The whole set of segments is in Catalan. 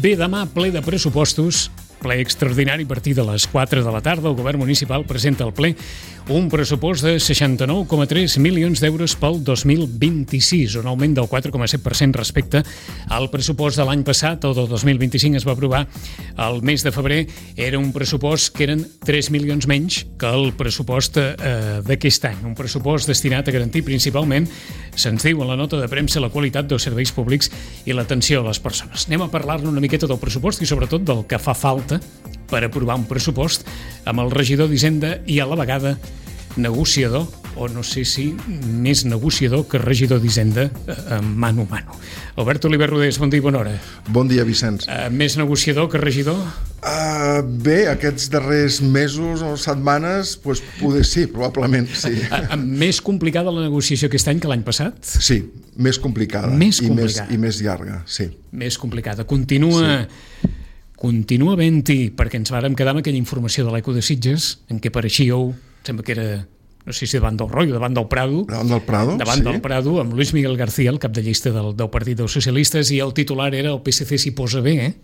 Bé, demà ple de pressupostos, ple extraordinari a partir de les 4 de la tarda. El govern municipal presenta al ple un pressupost de 69,3 milions d'euros pel 2026, un augment del 4,7% respecte al pressupost de l'any passat. El del 2025 es va aprovar al mes de febrer. Era un pressupost que eren 3 milions menys que el pressupost d'aquest any. Un pressupost destinat a garantir principalment, se'ns diu en la nota de premsa, la qualitat dels serveis públics i l'atenció a les persones. Anem a parlar-ne una miqueta del pressupost i sobretot del que fa falta per aprovar un pressupost amb el regidor d'Hisenda i a la vegada negociador, o no sé si més negociador que regidor d'Hisenda mano a mano. Albert Oliver Rodés, bon dia i bona hora. Bon dia, Vicenç. Més negociador que regidor? Bé, aquests darrers mesos o setmanes, doncs poder sí, probablement sí. Més complicada la negociació aquest any que l'any passat? Sí, més complicada. Més complicada. I més llarga, sí. Més complicada. Continua havent-hi, perquè ens vàrem quedar amb aquella informació de l'Eco de Sitges, en què pareixíeu, sembla que era, no sé si davant del Roy o davant del Prado. Davant del Prado, davant del Prado, amb Luis Miguel García, el cap de llista del Partit dels Socialistes, i el titular era el PSC s'hi posa bé,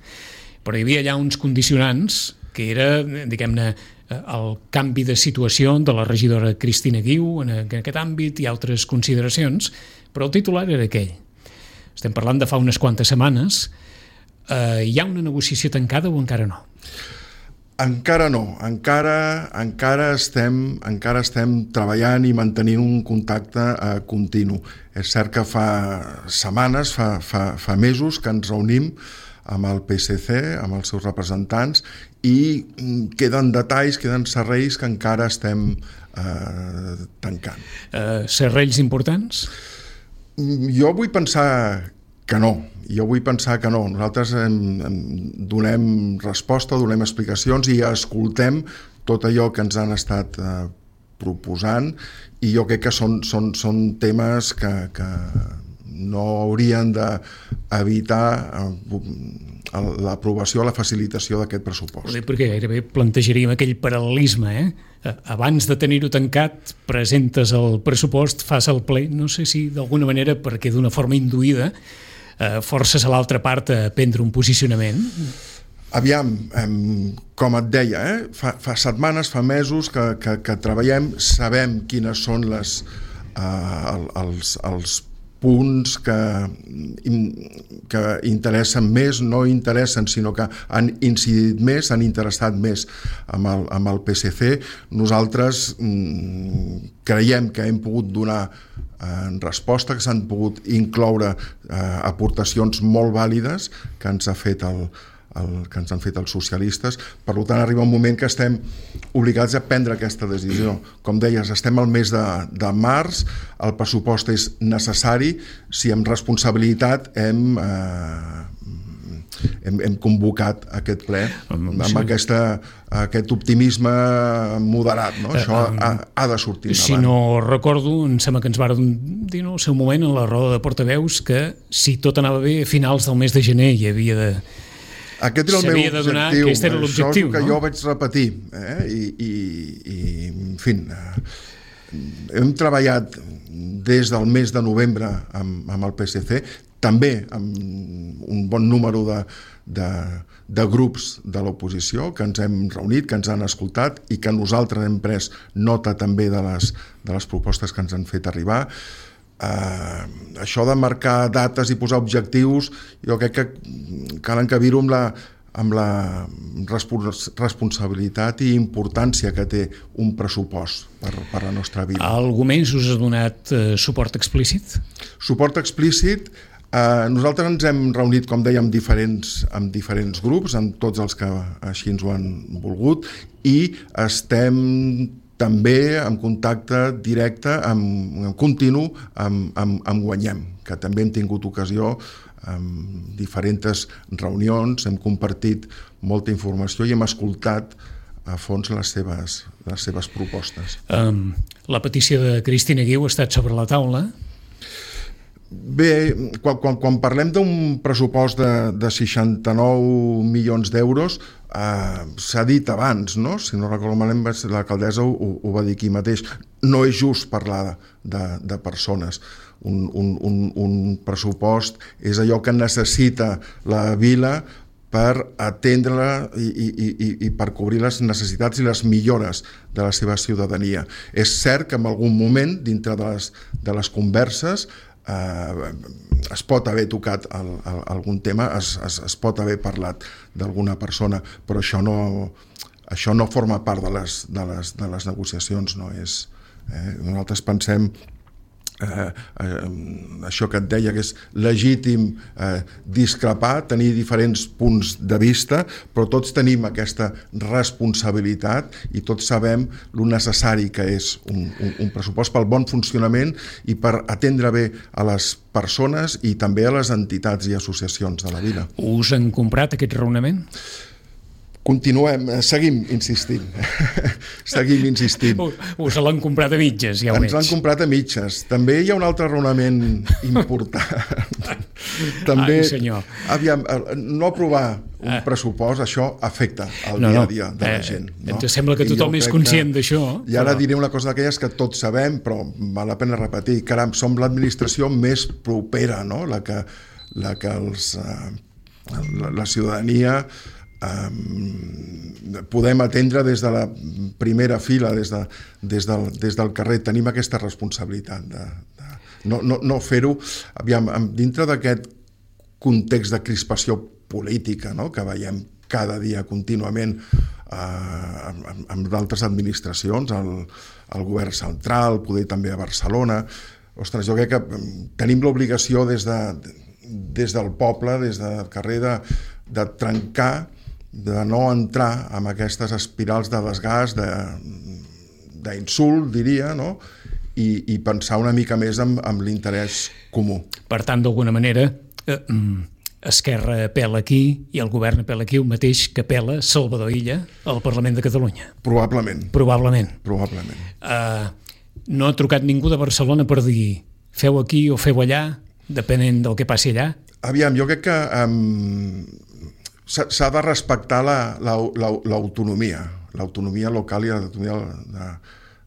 però hi havia allà uns condicionants, que era, diguem-ne, el canvi de situació de la regidora Cristina Guiu en aquest àmbit i altres consideracions, però el titular era aquell. Estem parlant de fa unes quantes setmanes. Hi ha una negociació tancada o encara no? Encara no, encara estem treballant i mantenint un contacte continu. És cert que fa setmanes, fa mesos que ens reunim amb el PSC, amb els seus representants, i queden detalls, queden serrells que encara estem tancant. Serrells importants? Jo vull pensar que no. Nosaltres donem resposta, donem explicacions i escoltem tot allò que ens han estat proposant, i jo crec que són temes que no haurien d'evitar l'aprovació, la facilitació d'aquest pressupost. Perquè gairebé plantejaríem aquell paral·lelisme, Abans de tenir-ho tancat, presentes el pressupost, fas el ple, no sé si d'alguna manera, perquè d'una forma induïda, forces a l'altra part a prendre un posicionament? Aviam, com et deia, fa setmanes, fa mesos que treballem, sabem quines són els punts que interessen més, no interessen, sinó que han incidit més, han interessat més amb el PSC. Nosaltres creiem que hem pogut donar resposta, que s'han pogut incloure aportacions molt vàlides que ens ha fet que ens han fet els socialistes. Per tant, arriba un moment que estem obligats a prendre aquesta decisió. Com deies, estem al mes de març, el pressupost és necessari, si amb responsabilitat hem convocat aquest ple amb aquest optimisme moderat, no? Això ha de sortir endavant. Si no recordo, em sembla que ens varen dir en el seu moment en la roda de portaveus que si tot anava bé a finals del mes de gener hi havia de... Aquest era el meu objectiu, aquest era l'objectiu, això és el que jo vaig repetir, i en fi, hem treballat des del mes de novembre amb el PSC, també amb un bon número de grups de l'oposició que ens hem reunit, que ens han escoltat i que nosaltres hem pres nota també de les propostes que ens han fet arribar. Això de marcar dates i posar objectius, jo crec que cal encabir-ho amb la responsabilitat i importància que té un pressupost per la nostra vida. Algú més us ha donat suport explícit? Suport explícit, nosaltres ens hem reunit, com deia, amb diferents grups, amb tots els que així ens ho han volgut, i estem també en contacte directe, continu, amb Guanyem, que també hem tingut ocasió en diferents reunions, hem compartit molta informació i hem escoltat a fons les seves propostes. La petició de Cristina Guiu ha estat sobre la taula? Bé, quan parlem d'un pressupost de 69 milions d'euros, s'ha dit abans, no? Si no recordo malament, l'alcaldessa ho va dir aquí mateix, no és just parlar de persones. Un pressupost és allò que necessita la vila per atendre-la i per cobrir les necessitats i les millores de la seva ciutadania. És cert que en algun moment, dintre de les converses, es pot haver tocat algun tema, es pot haver parlat d'alguna persona, però això no forma part de les negociacions, no és. Nosaltres pensem això que et deia, que és legítim discrepar, tenir diferents punts de vista, però tots tenim aquesta responsabilitat i tots sabem lo necessari que és un pressupost pel bon funcionament i per atendre bé a les persones i també a les entitats i associacions de la vida. Us han comprat aquest raonament? Continuem, seguim insistint. Seguim insistint. Us l'han comprat a mitges, ja ho veig. Ens l'han comprat a mitges. També hi ha un altre raonament important. També, senyor. Aviam, no aprovar un pressupost, això afecta el dia a dia de la gent. Ens sembla que tothom és conscient d'això. I ara diré una cosa d'aquelles que tots sabem, però val la pena repetir. Caram, som l'administració més propera, no? La que la ciutadania podem atendre des de la primera fila, des del carrer. Tenim aquesta responsabilitat de no fer-ho dintre d'aquest context de crispació política, no? Que veiem cada dia contínuament amb d'altres administracions, el govern central, poder també a Barcelona. Ostres, jo crec que tenim l'obligació des del poble, des del carrer, de trencar, de no entrar en aquestes espirals de desgast, d'insult, diria, no? I pensar una mica més en l'interès comú. Per tant, d'alguna manera, Esquerra apel·la aquí i el govern apel·la aquí, el mateix que apel·la Salvador Illa al Parlament de Catalunya. Probablement. No ha trucat ningú de Barcelona per dir feu aquí o feu allà, depenent del que passi allà? Aviam, jo crec que s'ha de respectar l'autonomia local i l'autonomia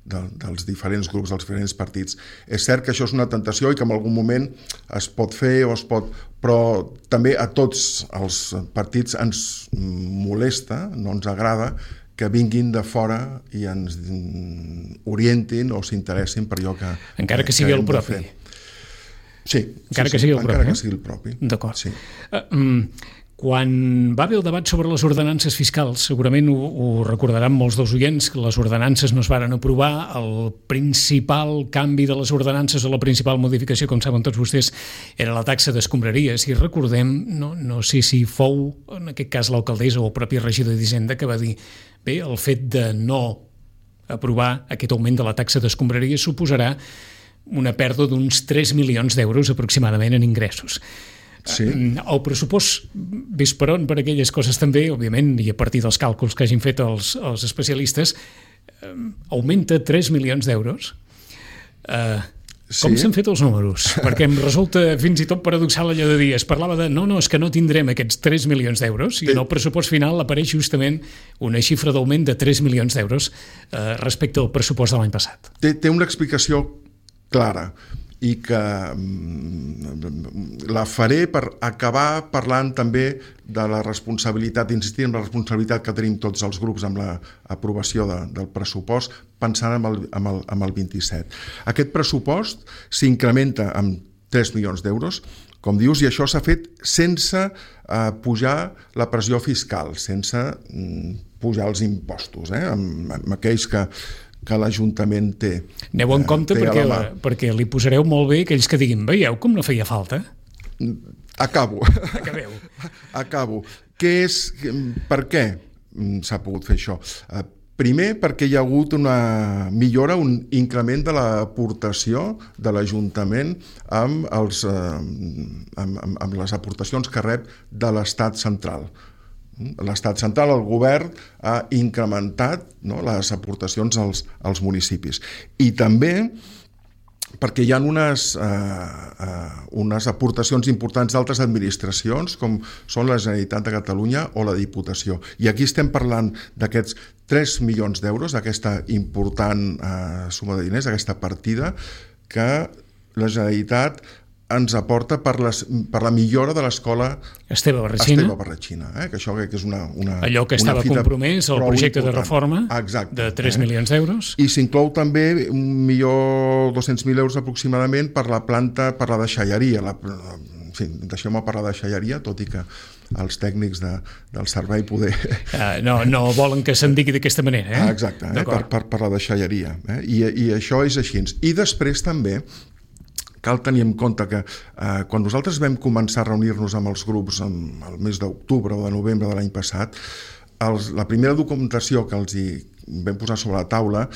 dels diferents grups, dels diferents partits. És cert que això és una tentació i que en algun moment es pot fer però també a tots els partits ens molesta, no ens agrada que vinguin de fora i ens orientin o s'interessin per allò que encara que sigui el propi. Sí, encara que sigui el propi. D'acord. Sí. Quan va haver el debat sobre les ordenances fiscals, segurament ho recordaran molts dels oients, que les ordenances no es varen aprovar, el principal canvi de les ordenances o la principal modificació, com saben tots vostès, era la taxa d'escombraria. Si recordem, no sé si fou, en aquest cas l'alcaldessa o el propi regidor d'Hisenda, que va dir bé, el fet de no aprovar aquest augment de la taxa d'escombraria suposarà una pèrdua d'uns 3 milions d'euros aproximadament en ingressos. Sí. El pressupost ves per on per aquelles coses també, òbviament, i a partir dels càlculs que hagin fet els especialistes, augmenta 3 milions d'euros. Com s'han fet els números? Perquè em resulta fins i tot paradoxal allò de dir, es parlava de és que no tindrem aquests 3 milions d'euros i en el pressupost final apareix justament una xifra d'augment de 3 milions d'euros respecte al pressupost de l'any passat. Té una explicació clara i que la faré per acabar parlant també de la responsabilitat, insistir en la responsabilitat que tenim tots els grups amb l'aprovació del pressupost, pensant en el 27. Aquest pressupost s'incrementa amb 3 milions d'euros, com dius, i això s'ha fet sense pujar la pressió fiscal, sense pujar els impostos, amb aquells que l'Ajuntament té. Aneu en compte perquè li posareu molt bé aquells que diguin, veieu com no feia falta? Acabo. Per què s'ha pogut fer això? Primer, perquè hi ha hagut una millora, un increment de l'aportació de l'Ajuntament amb les aportacions que rep de l'Estat central. L'Estat central, el govern, ha incrementat les aportacions als municipis. I també perquè hi ha unes aportacions importants d'altres administracions, com són la Generalitat de Catalunya o la Diputació. I aquí estem parlant d'aquests 3 milions d'euros, d'aquesta important suma de diners, d'aquesta partida, que la Generalitat ens aporta per la millora de l'escola Esteve Barratxina, que això que és una allò que estava compromès al projecte de reforma de 3 milions d'euros. I s'inclou també 1.200.000 euros aproximadament per la planta, per la deixalleria. En fi, deixeu-me parlar de deixalleria, tot i que els tècnics del servei poder... No volen que se'n digui d'aquesta manera, Exacte, per la deixalleria. I això és així. I després també cal tenir en compte que quan nosaltres vam començar a reunir-nos amb els grups el mes d'octubre o de novembre de l'any passat, la primera documentació que els hi vam posar sobre la taula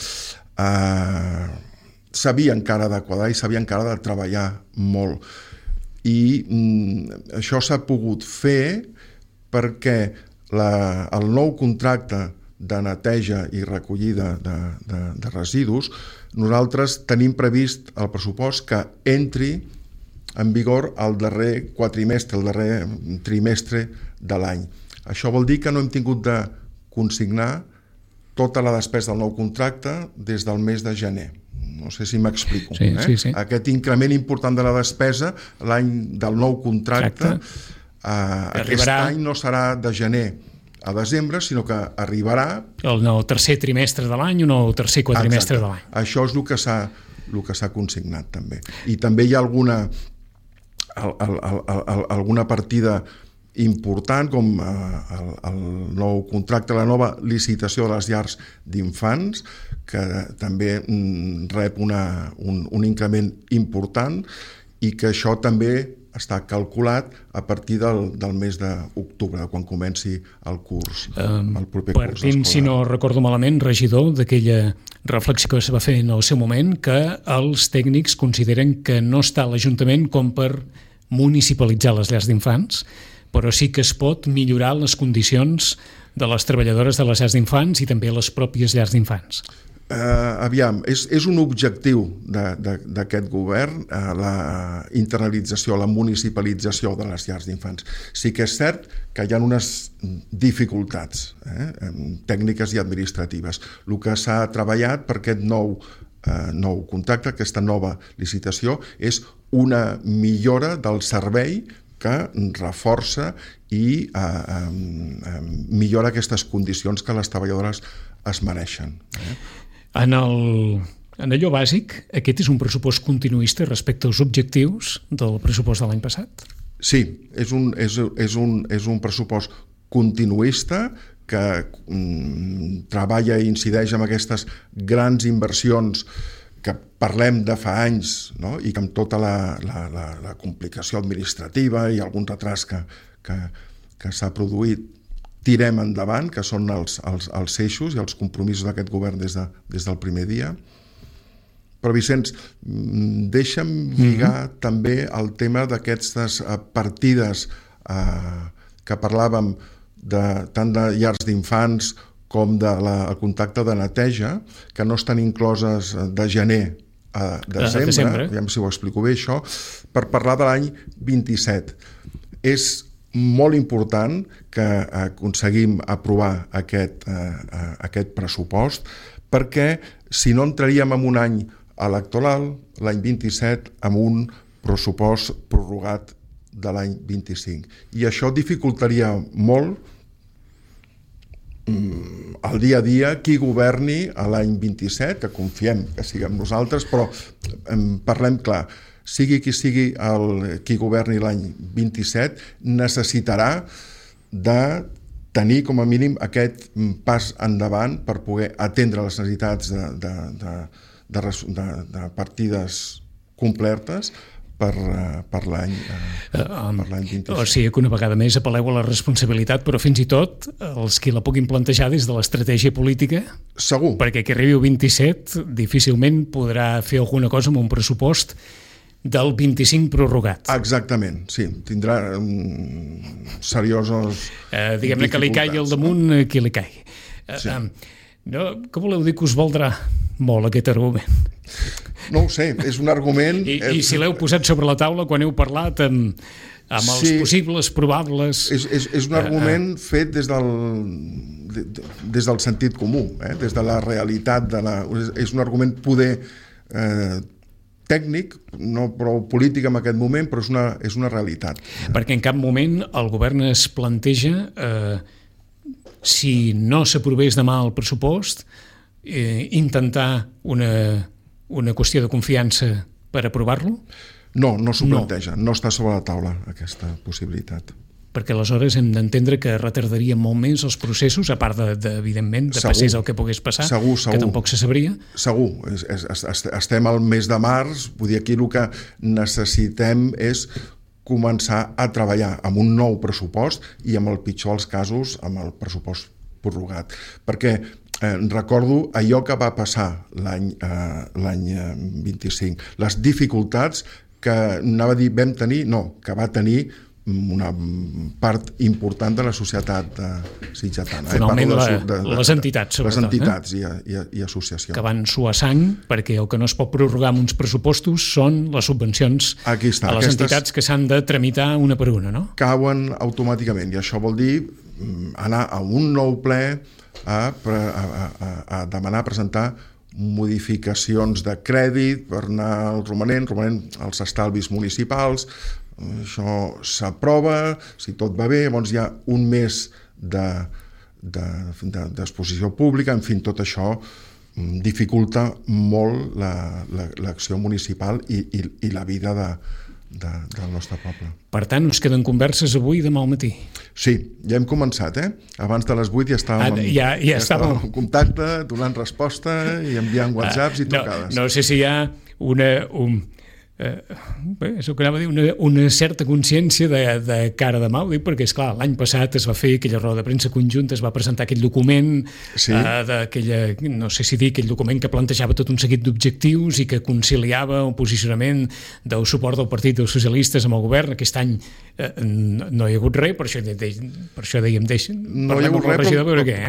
s'havia encara de quadrar i s'havia encara de treballar molt. I això s'ha pogut fer perquè el nou contracte de neteja i recollida de residus, nosaltres tenim previst el pressupost que entri en vigor el darrer quatrimestre, el darrer trimestre de l'any. Això vol dir que no hem tingut de consignar tota la despesa del nou contracte des del mes de gener. No sé si m'explico. Sí. Aquest increment important de la despesa l'any del nou contracte aquest any no serà de gener a desembre, sinó que arribarà el tercer trimestre de l'any o el tercer quadrimestre de l'any. Això és el que s'ha consignat també. I també hi ha alguna partida important com el nou contracte, la nova licitació de les llars d'infants, que també rep un increment important i que això també està calculat a partir del mes d'octubre, quan comenci el curs, el proper curs escolar. Partint, si no recordo malament, regidor, d'aquella reflexió que es va fer en el seu moment, que els tècnics consideren que no està a l'Ajuntament com per municipalitzar les llars d'infants, però sí que es pot millorar les condicions de les treballadores de les llars d'infants i també les pròpies llars d'infants. Aviam, és un objectiu d'aquest govern la internalització, la municipalització de les llars d'infants. Sí que és cert que hi ha unes dificultats tècniques i administratives. El que s'ha treballat per aquest nou contracte, aquesta nova licitació, és una millora del servei que reforça i millora aquestes condicions que les treballadores es mereixen. En allò bàsic, aquest és un pressupost continuista respecte als objectius del pressupost de l'any passat? Sí, és un pressupost continuista que treballa i incideix en aquestes grans inversions que parlem de fa anys, no? I que amb tota la complicació administrativa i algun retras que s'ha produït tirem endavant, que són els eixos i els compromisos d'aquest govern des del primer dia. Però, Vicenç, deixa'm lligar també el tema d'aquestes partides que parlàvem tant de llars d'infants com del contacte de neteja, que no estan incloses de gener a desembre, ja si ho explico bé això, per parlar de l'any 27. És molt important que aconseguim aprovar aquest pressupost, perquè si no entraríem en un any electoral, l'any 27, amb un pressupost prorrogat de l'any 25. I això dificultaria molt el dia a dia qui governi a l'any 27, que confiem que siguem nosaltres, però parlem clar, sigui qui sigui qui governi l'any 27, necessitarà de tenir com a mínim aquest pas endavant per poder atendre les necessitats de partides completes per l'any 27. O sigui que una vegada més apel·leu a la responsabilitat, però fins i tot els qui la puguin plantejar des de l'estratègia política, segur, perquè que arribi el 27 difícilment podrà fer alguna cosa amb un pressupost del 25 prorrogat. Exactament, sí, tindrà seriosos diguem-ne que li caigui al damunt qui li caigui. Sí. Què voleu dir que us valdrà molt aquest argument? No ho sé, és un argument... I si l'heu posat sobre la taula quan heu parlat amb els possibles, probables... És un argument fet des del sentit comú, des de la realitat. És un argument poder tècnic, no prou polític en aquest moment, però és una realitat. Perquè en cap moment el govern es planteja, si no s'aprovés demà el pressupost, intentar una qüestió de confiança per aprovar-lo? No s'ho planteja, no està sobre la taula aquesta possibilitat. Perquè aleshores hem d'entendre que retardaria molt més els processos, a part evidentment, de passés el que pogués passar, que tampoc se sabria. Segur, estem al mes de març, vull dir, aquí el que necessitem és començar a treballar amb un nou pressupost i, amb el pitjor dels casos, amb el pressupost prorrogat. Perquè recordo allò que va passar l'any 25, les dificultats que que va tenir una part important de la societat sitgetana. Finalment, les entitats, sobretot. Les entitats i associacions. Que van suar sang, perquè el que no es pot prorrogar amb uns pressupostos són les subvencions a les entitats que s'han de tramitar una per una, no? Cauen automàticament, i això vol dir anar a un nou ple a demanar, presentar modificacions de crèdit per anar al romanent als estalvis municipals. Això s'aprova, si tot va bé, llavors hi ha un mes d'exposició pública, en fi, tot això dificulta molt l'acció municipal i la vida del nostre poble. Per tant, us queden converses avui i demà al matí? Sí, ja hem començat, Abans de les 8 ja estàvem en contacte, donant resposta i enviant whatsapps i trucades. No sé si hi ha és el que anava a dir, una certa consciència de cara demà, ho dic perquè, esclar, l'any passat es va fer aquella roda de premsa conjunta, es va presentar aquell document, no sé si dir, aquell document que plantejava tot un seguit d'objectius i que conciliava un posicionament del suport del Partit dels Socialistes amb el govern. Aquest any no hi ha hagut res, per això dèiem, no hi ha hagut res,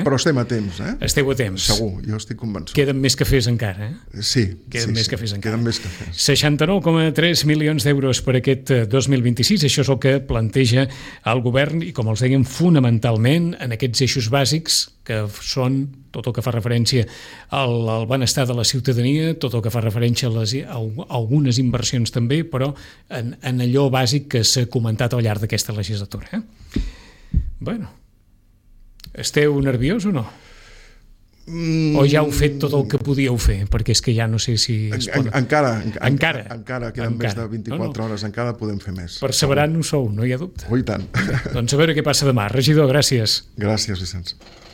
però estem a temps. Esteu a temps. Segur, jo estic convençut. Queden més cafès encara, Sí. Queden més cafès encara. Queden més cafès. 69,3 milions d'euros per aquest 2026, això és el que planteja el govern i, com els dèiem, fonamentalment en aquests eixos bàsics que són tot el que fa referència al benestar de la ciutadania, tot el que fa referència a algunes inversions també, però en allò bàsic que s'ha comentat al llarg d'aquesta legislatura. Bueno, esteu nerviós o no? O ja heu fet tot el que podíeu fer? Perquè és que ja no sé si... Encara queden més de 24 hores, encara podem fer més. Perseverant ho sou, no hi ha dubte. I tant. Doncs a veure què passa demà. Regidor, gràcies. Gràcies, Vicenç.